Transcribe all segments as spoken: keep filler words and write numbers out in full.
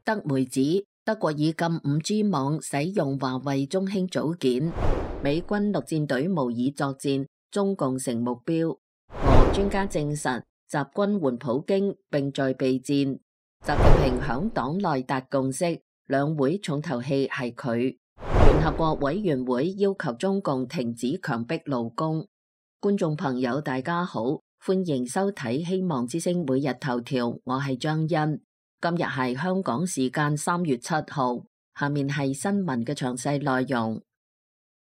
德媒指德國已禁五 G 網使用華為中興組件，美軍陸戰隊模擬作戰，中共成目標。俄專家證實習軍援普京並在備戰。習近平響黨內達共識，兩會重頭戲係佢。聯合國委員會要求中共停止強迫勞工。觀眾朋友大家好，歡迎收睇希望之聲每日頭條，我係張欣。今日係香港時間三月七號，下面係新聞嘅詳細內容。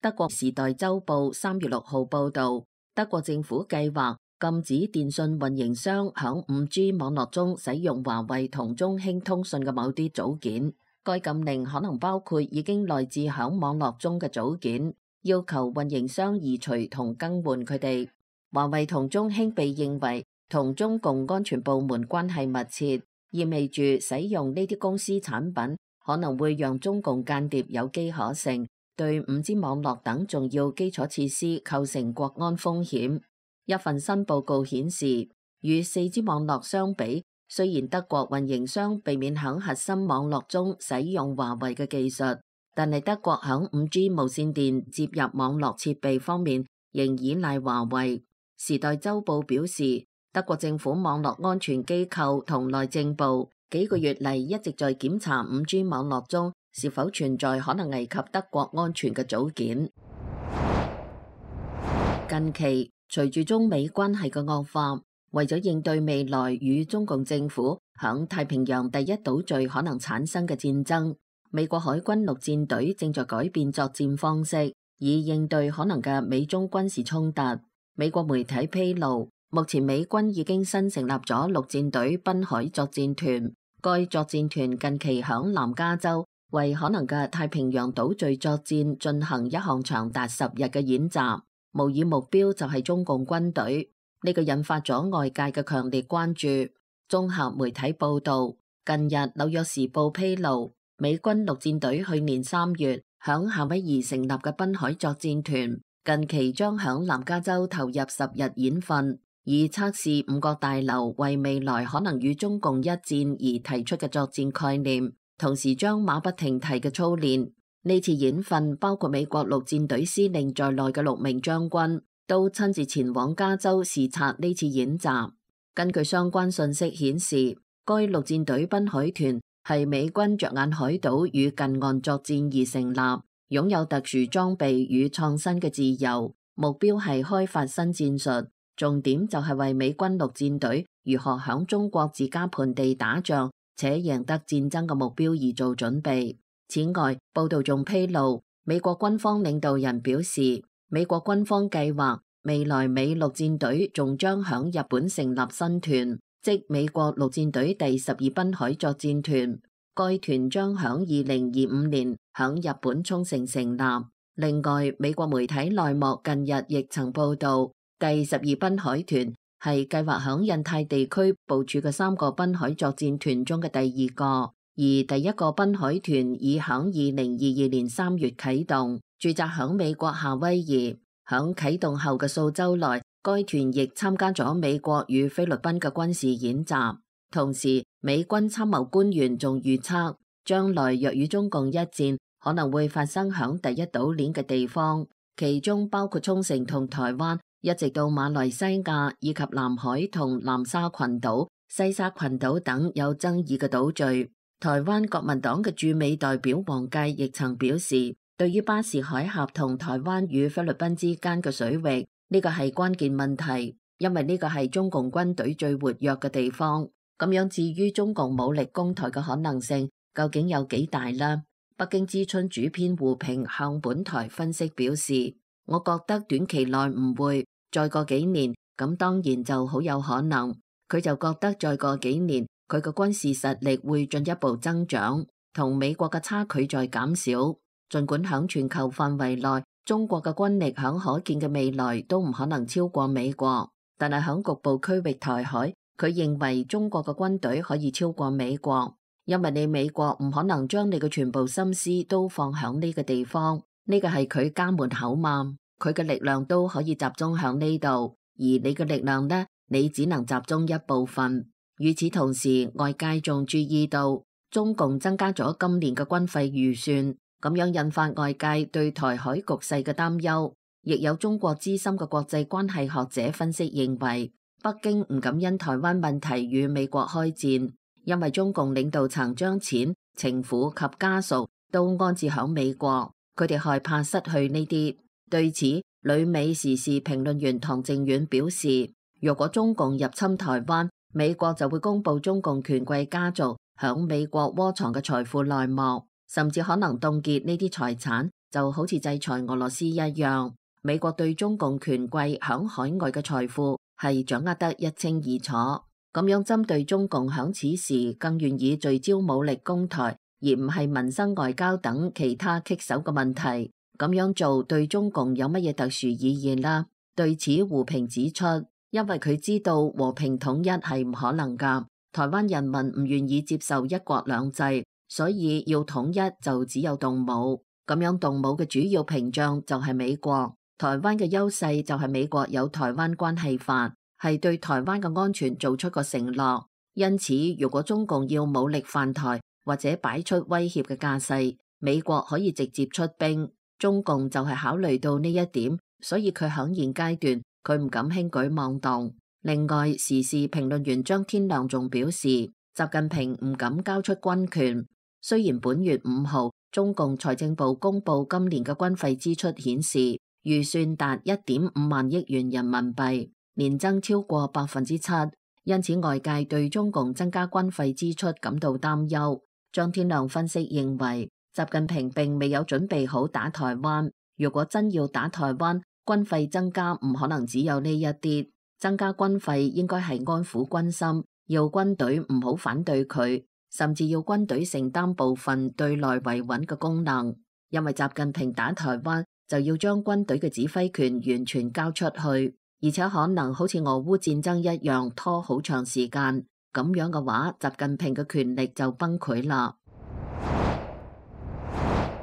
德國時代週報三月六號報道，德國政府計劃禁止電信運營商響五 G 網絡中使用華為同中興通訊嘅某啲組件。該禁令可能包括已經內置響網絡中嘅組件，要求運營商移除同更換佢哋。華為同中興被認為同中共安全部門關係密切，意味住使用呢啲公司產品可能會讓中共間諜有機可乘，對五 G 網絡等重要基礎設施構成國安風險。一份新報告顯示，與四 G 網絡相比，雖然德國運營商避免響核心網絡中使用華為嘅技術，但係德國響五 G 無線電接入網絡設備方面仍依賴華為。時代週報表示，德國政府網絡安全機構同內政部幾個月嚟一直在檢查五 G 網絡中是否存在可能危及德國安全嘅組件。近期隨住中美關係嘅惡化，為咗應對未來與中共政府響太平洋第一島嶼可能產生嘅戰爭，美國海軍陸戰隊正在改變作戰方式，以應對可能嘅美中軍事衝突。美國媒體披露，目前美軍已經新成立咗陸戰隊濱海作戰團，該作戰團近期響南加州為可能嘅太平洋島嶼作戰進行一項長達十日嘅演習。模擬目標就係中共軍隊，呢個引發咗外界嘅強烈關注。綜合媒體報道，近日紐約時報披露，美軍陸戰隊去年三月響夏威夷成立嘅濱海作戰團，近期將響南加州投入十日演訓，以測試五角大樓為未來可能與中共一戰而提出嘅作戰概念，同時將馬不停蹄嘅操練。呢次演訓包括美國陸戰隊司令在內嘅六名將軍都親自前往加州視察呢次演習。根據相關信息顯示，該陸戰隊濱海團係美軍着眼海島與近岸作戰而成立，擁有特殊裝備與創新嘅自由，目標係開發新戰術，重點就係為美軍陸戰隊如何響中國自家盆地打仗且贏得戰爭嘅目標而做準備。此外，報道仲披露，美國軍方領導人表示，美國軍方計劃未來美陸戰隊仲將響日本成立新團，即美國陸戰隊第十二濱海作戰團。該團將響二零二五年響日本沖繩成立。另外，美國媒體內幕近日亦曾報道，第十二濱海團係計劃響印太地區部署嘅三個濱海作戰團中嘅第二個。而第一個濱海團已響二零二二年三月啟動，駐紮響美國夏威夷。響啟動後嘅數週內，該團亦參加咗美國與菲律賓嘅軍事演習。同時，美軍參謀官員仲預測，將來若與中共一戰，可能會發生響第一島鏈嘅地方，其中包括沖繩同台灣，一直到馬來西亞以及南海同南沙群島、西沙群島等有爭議嘅島嶼。台灣國民黨嘅駐美代表黃介亦曾表示，對於巴士海峽同台灣與菲律賓之間嘅水域，呢個係關鍵問題，因為呢個係中共軍隊最活躍嘅地方。咁樣至於中共武力攻台嘅可能性究竟有幾大呢？北京之春主編胡平向本台分析表示，我覺得短期內唔會，再過幾年咁當然就好有可能。佢就覺得再過幾年，佢嘅軍事實力會進一步增長，同美國嘅差距在減少。儘管響全球範圍內，中國嘅軍力響可見嘅未來都唔可能超過美國，但係響局部區域台海，佢認為中國嘅軍隊可以超過美國，因為你美國唔可能將你嘅全部心思都放響呢個地方，呢個係佢家門口嘛，佢嘅力量都可以集中響呢度，而你嘅力量呢，你只能集中一部分。與此同時，外界仲注意到中共增加咗今年嘅軍費預算，咁樣引發外界對台海局勢嘅擔憂。亦有中國資深嘅國際關係學者分析認為，北京唔敢因台灣問題與美國開戰，因為中共領導層將錢、情婦及家屬都安置響美國，佢哋害怕失去呢啲。對此，旅美時事評論員唐靖遠表示，如果中共入侵台灣，美國就會公布中共權貴家族響美國窩藏嘅財富內幕，甚至可能凍結呢啲財產，就好似制裁俄羅斯一樣。美國對中共權貴響海外嘅財富係掌握得一清二楚，咁樣針對中共響此時更願意聚焦武力攻台，而唔係民生外交等其他棘手嘅問題，咁樣做對中共有乜嘢特殊意義啦？對此，胡平指出，因為佢知道和平統一係唔可能噶，台灣人民唔願意接受一國兩制，所以要統一就只有動武，咁樣動武嘅主要屏障就係美國。台灣嘅優勢就係美國有台灣關係法，係對台灣嘅安全做出個承諾。因此，如果中共要武力犯台或者擺出威脅嘅架勢，美國可以直接出兵。中共就係考慮到呢一點，所以佢響現階段佢唔敢輕舉妄動。另外，時事評論員張天亮仲表示，習近平唔敢交出軍權。雖然本月五號中共財政部公布今年嘅軍費支出顯示，預算達一點五萬億元人民幣，年增超過百分之七，因此外界對中共增加軍費支出感到擔憂。張天亮分析認為，習近平並未有準備好打台灣，如果真要打台灣，軍費增加唔可能只有呢一啲，增加軍費應該係安撫軍心，要軍隊唔好反對佢，甚至要軍隊承擔部分對內維穩嘅功能，因為習近平打台灣就要將軍隊嘅指揮權完全交出去，而且可能好似俄烏戰爭一樣拖好長時間，咁樣嘅話，習近平嘅權力就崩潰啦。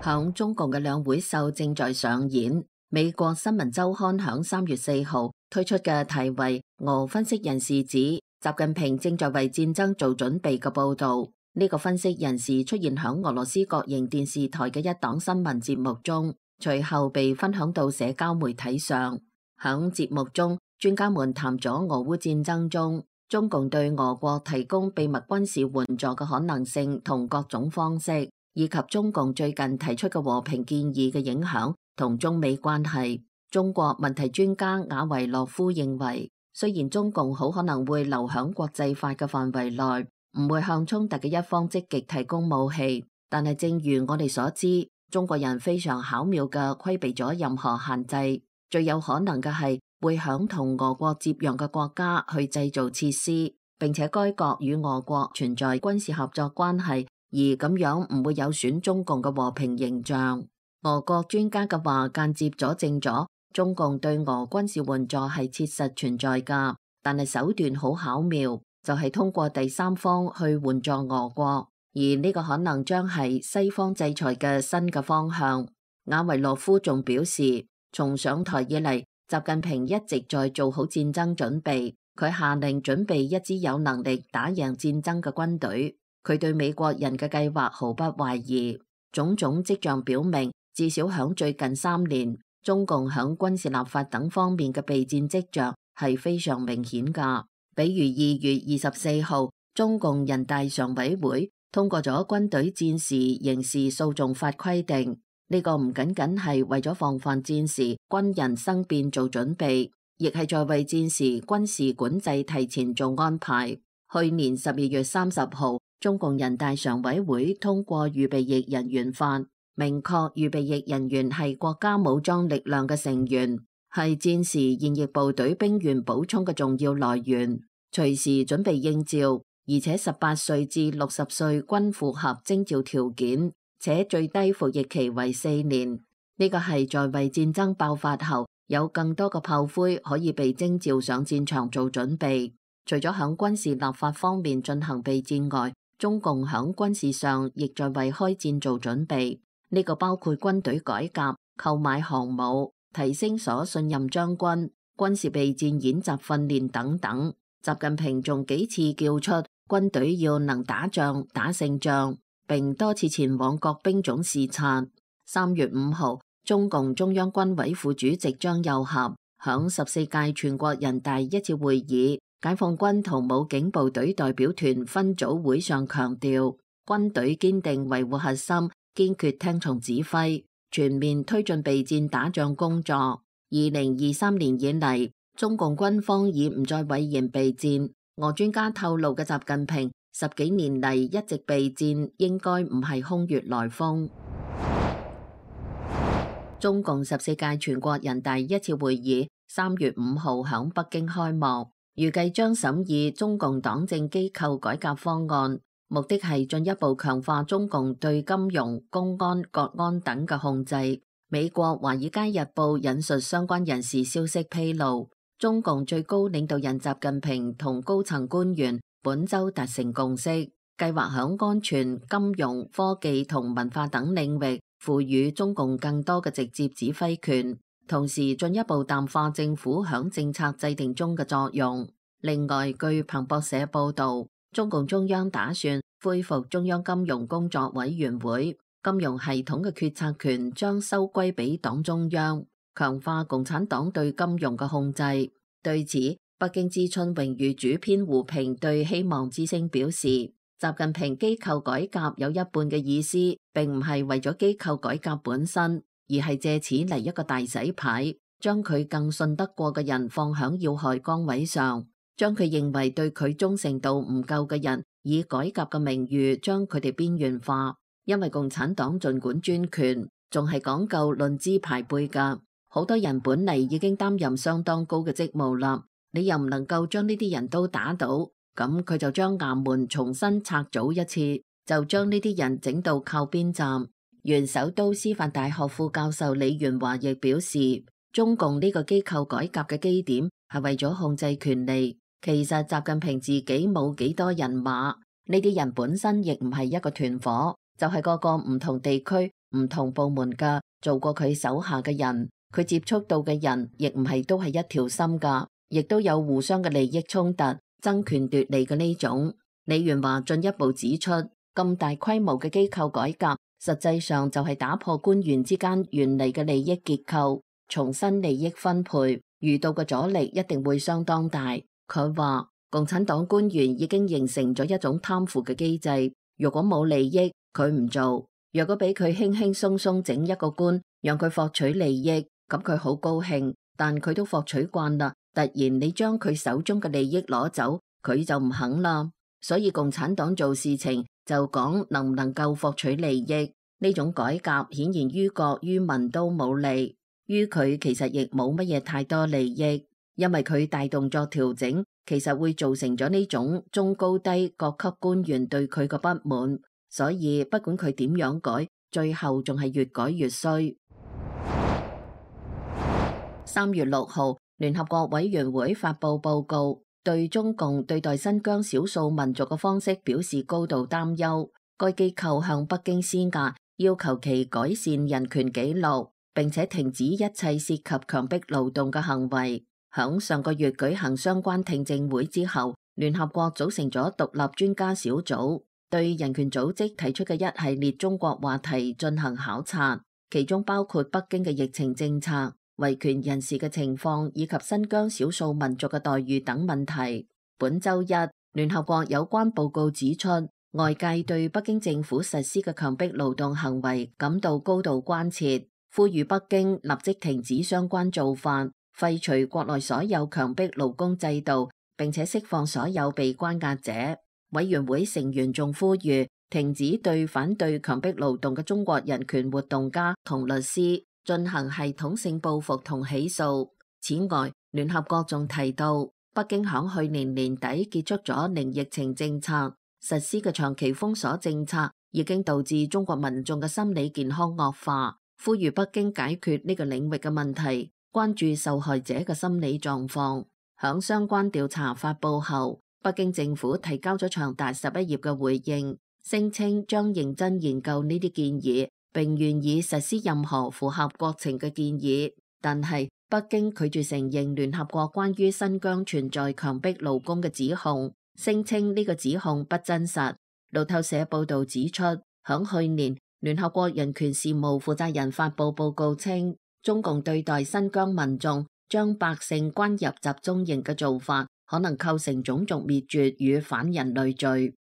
響中共嘅兩會秀正在上演，美國新聞週刊響三月四號推出嘅題為《俄分析人士指習近平正在為戰爭做準備》嘅報道。呢個分析人士出現響俄羅斯國營電視台嘅一檔新聞節目中，隨後被分享到社交媒體上。響節目中，專家們談咗俄烏戰爭中中共對俄國提供秘密軍事援助嘅可能性同各種方式，以及中共最近提出嘅和平建議嘅影響同中美關係。中國問題專家雅維洛夫認為，雖然中共好可能會留響國際法嘅範圍內，唔會向衝突嘅一方積極提供武器，但係正如我哋所知，中國人非常巧妙嘅規避咗任何限制，最有可能嘅係會響同俄國接壤嘅國家去製造設施，並且該國與俄國存在軍事合作關係，而咁樣唔會有損中共嘅和平形象。俄國專家嘅話間接佐證咗中共對俄軍事援助係切實存在噶，但係手段好巧妙，就係通過第三方去援助俄國，而呢個可能將係西方制裁嘅新嘅方向。雅維洛夫仲表示，從上台以嚟，習近平一直在做好戰爭準備，佢下令準備一支有能力打贏戰爭嘅軍隊。佢對美國人嘅計劃毫不懷疑，種種跡象表明，至少響最近三年，中共響軍事立法等方面嘅備戰跡象係非常明顯噶。比如二月二十四號，中共人大常委會通過咗軍隊戰時刑事訴訟法規定，呢個唔僅僅係為咗防範戰時軍人生變做準備，亦係在為戰時軍事管制提前做安排。去年十二月三十號，中共人大常委會通過預備役人員法，明確預備役人員係國家武裝力量嘅成員，係戰時現役部隊兵員補充嘅重要來源，隨時準備應召，而且十八歲至六十歲均符合徵召條件，且最低服役期為四年。呢個係在為戰爭爆發後有更多嘅炮灰可以被徵召上戰場做準備。除咗響軍事立法方面進行備戰外，中共響軍事上亦在為開戰做準備。呢個包括軍隊改革、購買航母、提升所信任將軍、軍事備戰演習訓練等等。習近平仲幾次叫出軍隊要能打仗、打勝仗，並多次前往各兵種視察。三月五號，中共中央軍委副主席張又俠響十四屆全國人大一次會議解放軍同武警部隊代表團分組會上強調，軍隊堅定維護核心，堅決聽從指揮，全面推進備戰打仗工作。二零二三年以嚟，中共軍方已唔再諱言備戰。俄專家透露嘅習近平十幾年嚟一直備戰，應該唔係空穴來風。中共十四屆全國人大一次會議三月五號響北京開幕，預計將審議中共黨政機構改革方案，目的係進一步強化中共對金融、公安、國安等嘅控制。美國《華爾街日報》引述相關人士消息披露，中共最高領導人習近平同高層官員本周達成共識，計劃響安全、金融、科技同文化等領域賦予中共更多嘅直接指揮權，同時進一步淡化政府響政策制定中嘅作用。另外，據彭博社報道，中共中央打算恢復中央金融工作委員會，金融系統嘅決策權將收歸俾黨中央，強化共產黨對金融嘅控制。對此，北京知春榮譽主編胡平對希望之聲表示，習近平機構改革有一半嘅意思，並唔係為咗機構改革本身，而係借此嚟一個大洗牌，將佢更信得過嘅人放響要害崗位上，將佢認為對佢忠誠度唔夠嘅人，以改革嘅名譽將佢哋邊緣化。因為共產黨盡管專權，仲係講究論資排輩噶，好多人本嚟已經擔任相當高嘅職務啦，你又唔能夠將呢啲人都打倒。咁佢就將衙門重新拆組一次，就將呢啲人整到靠邊站。原首都師範大學副教授李元華亦表示，中共呢個機構改革嘅基點係為咗控制權力。其實習近平自己冇幾多人馬，呢啲人本身亦唔係一個團伙，就係個個唔同地區、唔同部門嘅做過佢手下嘅人，佢接觸到嘅人亦唔係都係一條心噶，亦都有互相嘅利益衝突。爭權奪利嘅呢種。李元華進一步指出，咁大規模嘅機構改革，實際上就係打破官員之間原嚟嘅利益結構，重新利益分配，遇到嘅阻力一定會相當大。佢話，共產黨官員已經形成咗一種貪腐嘅機制，如果冇利益，佢唔做；若果俾佢輕輕鬆鬆整一個官，讓佢獲取利益，咁佢好高興，但佢都獲取慣啦。突然你將佢手中嘅利益攞走，佢就唔肯啦。所以共產黨做事情就講能唔能夠獲取利益，呢種改革顯然於國於民都冇利，於佢其實亦冇乜嘢太多利益，因為佢大動作調整，其實會造成咗呢種中高低各級官員對佢嘅不滿，所以不管佢點樣改，最後仲係越改越衰。三月六號，聯合國委員會發布報告，對中共對待新疆少數民族嘅方式表示高度擔憂。該機構向北京施壓，要求其改善人權紀錄，並且停止一切涉及強迫勞動嘅行為。響上個月舉行相關聽證會之後，聯合國組成咗獨立專家小組，對人權組織提出嘅一系列中國話題進行考察，其中包括北京嘅疫情政策、維權人士嘅情況以及新疆少數民族嘅待遇等問題。本周一，聯合國有關報告指出，外界對北京政府實施嘅強迫勞動行為感到高度關切，呼籲北京立即停止相關做法，廢除國內所有強迫勞工制度，並且釋放所有被關押者。委員會成員仲呼籲停止對反對強迫勞動嘅中國人權活動家同律師進行系統性報復同起訴。此外，聯合國仲提到，北京響去年年底結束咗零疫情政策，實施嘅長期封鎖政策已經導致中國民眾嘅心理健康惡化，呼籲北京解決呢個領域嘅問題，關注受害者嘅心理狀況。響相關調查發佈後，北京政府提交咗長達十一頁嘅回應，聲稱將認真研究呢啲建議，並願意實施任何符合國情嘅建議。但係北京拒絕承認聯合國關於新疆存在強迫勞工嘅指控，聲稱呢個指控不真實。路透社報道指出，響去年，聯合國人權事務負責人發布報告稱，中共對待新疆民眾將百姓關入集中營嘅做法，可能構成種族滅絕與反人類罪。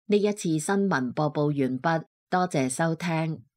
呢一次新聞播報完畢，多謝收聽。